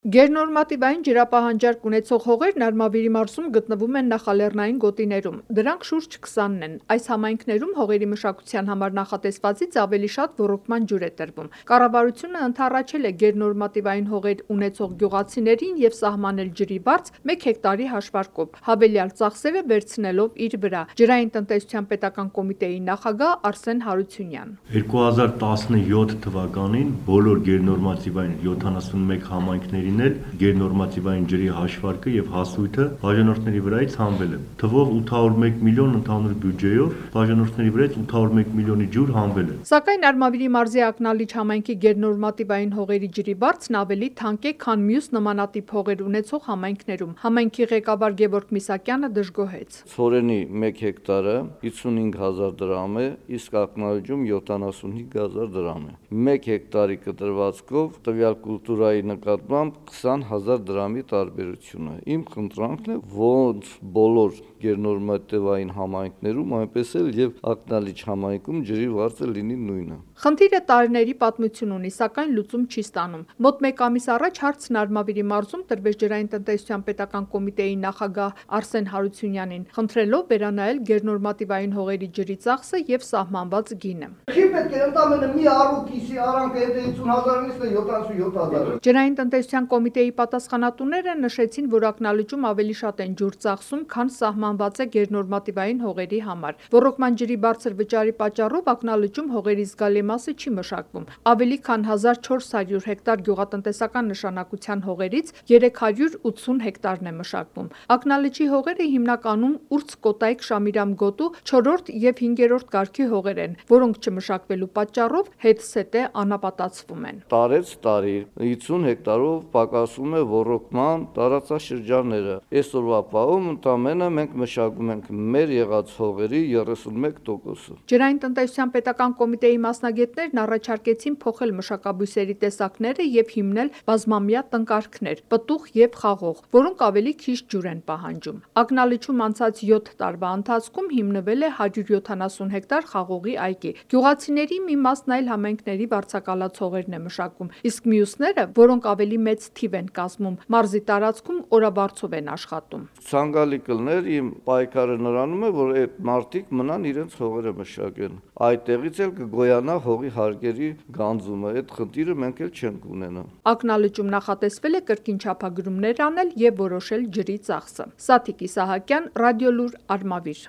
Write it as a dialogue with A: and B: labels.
A: Գերնորմատիվային ջրապահանջարկ ունեցող հողերն Արմավիրի մարզում գտնվում են նախալեռնային գոտիներում, դրանք շուրջ 20-ն են։ Այս համայնքներում հողերի մշակության համար նախատեսվածից ավելի շատ ոռոգման ջուր է տրվում։ Կառավարությունը ընդառաջել է գերնորմատիվային հողեր ունեցող գյուղացիներին և սահմանել ջրի վարձ 1 հեկտարի հաշվարկով, հավելյալ ծախսերը վերցնելով իր վրա։ Ջրային տնտեսության պետական կոմիտեի նախագահ Արսեն Հարությունյան:
B: 2017 թվականին բոլոր գերնորմատիվային 71 համայնքների գերնորմատիվային ջրի հաշվարկը և հասույթը բաժանորդների վրայից հանվել է։ Թվով 801 միլիոն ընդհանուր բյուջեով բաժանորդների վրայից 801 միլիոնի ջուր հանվել է։
A: Սակայն Արմավիրի մարզի Ակնալիչ համայնքի գերնորմատիվային հողերի ջրի վարձն ավելի թանկ է, քան մյուս նմանատիպ հողեր ունեցող համայնքներում։ Համայնքի ղեկավար Գևորգ Միսակյանը դժգոհեց:
C: Ցորենի 1 հեկտարը 55,000 դրամ է, իսկ Ակնալիչում 75,000 դրամ է։ 1 հեկտարի կտրվածքով տվյալ կուլտուրայի նկատմամբ 20,000 դրամի տարբերություն է։ Իմ խնդրանքն է, ոնց բոլոր գերնորմատիվային համայնքներում, այնպես էլ և Ակնալիչ համայնքում ջրի վարձը լինի նույնը։
A: Խնդիրը տարիների պատմություն ունի, սակայն լուծում չի ստանում։ Մոտ 1 ամիս առաջ հարցն Արմավիրի մարզում տրվեց Ջրային տնտեսության պետական կոմիտեի նախագահ Արսեն Հարությունյանին, խնդրելով վերանայել գերնորմատիվային հողերի ջրի ծախսը և սահմանված գինը։
D: Չի պետք է ընդամենը մի առու կիսի արանքը 50,000-ից 77,000։
A: Ջրային տնտեսության կոմիտեի պատասխանատուները նշեցին, որ Ակնալիչում ավելի շատ են ջուր ծախսում, քան սահմանված է գերնորմատիվային հողերի համար։ Ոռոգման ջրի բարձր վճարի պատճառով Ակնալիչում հողերի զգալի մասը չի մշակվում։ Ավելի քան 1400 հեկտար գյուղատնտեսական նշանակության հողերից 380 հեկտարն է մշակվում։ Ակնալիչի հողերը հիմնականում Ուրցկոտայք Շամիրամ գոտու 4-րդ և 5-րդ կարգի հողեր են, որոնք չմշակվելու պատճառով հետսետե անապատացվում են։
C: Տարեցտարի 50 հեկտարով պակասում է ոռոգման տարածաշրջանները։ Այսօրվա պահում ընդամենը մենք մշակում ենք մեր եղած հողերի 31%-ը։
A: Ջրային տնտեսության պետական կոմիտեի մասնագետներն առաջարկեցին փոխել մշակաբույսերի տեսակները և հիմնել բազմամյա տնկարկներ՝ պտուղ և խաղող, որոնք ավելի քիչ ջուր են պահանջում։ Ակնալիչում անցած 7 տարվա ընթացքում հիմնվել է 170 հեկտար խաղողի այգի։ Գյուղացիների մի մասն այլ համայնքների վարձակալած հողերն է մշակում, իսկ մյուսները, որոնք ավելի մեծ թիվ են կազմում, մարզի տարածքում օրավարձով են աշխատում։
C: Ցանկալի կլներ, իմ պայքարը նրանում է, որ այդ մարդիկ մնան իրենց հողերը մշակեն։ Այդտեղից էլ կգոյանա հողի հարկերի գանձումը, այդ խնդիրը մենք էլ չենք ունենա։
A: Ակնալիչում նախատեսվել է կրկին չափագրումներ անել և որոշել ջրի ծախսը։ Սաթիկ Իսահակյան, Ռադիոլուր, Արմավիր։